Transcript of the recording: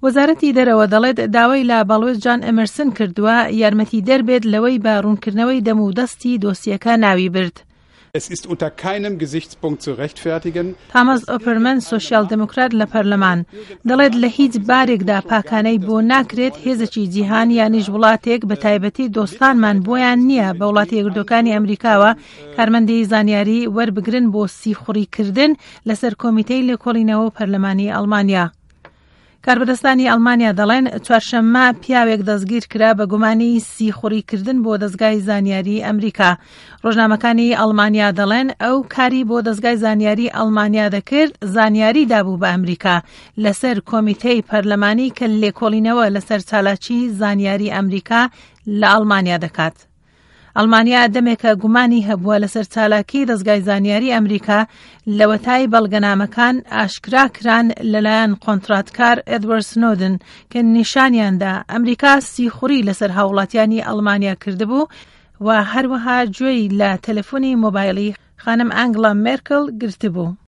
وەزارەتی دەرەوە دەڵێت داوای لە باڵوێز جان ئەمەرسن کردووە یارمەتیدەر بێت لەوەی بە ڕوونکردنەوەی دەم و دەستی دۆسیەکە ناوی برد. Es ist unter keinem Gesichtspunkt zu rechtfertigen. تاماس ئۆپەرمەن سۆسیال دێموکرات لە پەرلەمان دەڵێت لە هیچ بارێکدا پاکانەی بۆ ناکرێت هێزێکی جیهان یانیش وڵاتێک بە تایبەتی دۆستانمان بۆیان نییە بە وڵاتی یەکگرتووەکانی ئەمریکاوە کارمەندی زانیاری وەربگرن بۆ سیخوڕیکردن لەسەر کۆمیتەی لێکۆڵینەوە و پەرلەمانی ئەڵمانیا. کاربەدەستانی ئەڵمانیا دەڵێن چوارشەممە پیاوێک دەستگیر کرا بە گومانی سیخوڕیکردن بۆ دەزگای زانیاری ئەمریکا. ڕۆژنامەکانی ئەڵمانیا دەڵێن ئەو کاری بۆ دەزگای زانیاری ئەڵمانیا دەکرد زانیاری دابوو بە ئەمریکا لەسەر کۆمیتەی پەرلەمانی کە لێکۆڵینەوە لەسەر چالاکی زانیاری ئەمریکا لە ئەڵمانیا دەکات. ئەڵمانیا دەمێکە گومانی هەبووە لەسەر چالاکی دەزگای زانیاری ئەمریکا لەوەتای بەڵگەنامەکان ئاشکرا کران لەلایەن کۆنتراتکار ئێدوارد سنۆدن کە نیشانیاندا ئەمریکا سیخوڕی لەسەر هاوڵاتیانی ئەڵمانیا کردبوو و هەروەها گوێی لە تەلەفۆنی مۆبایلی خانم ئانگڵا مێرکل گرتبوو.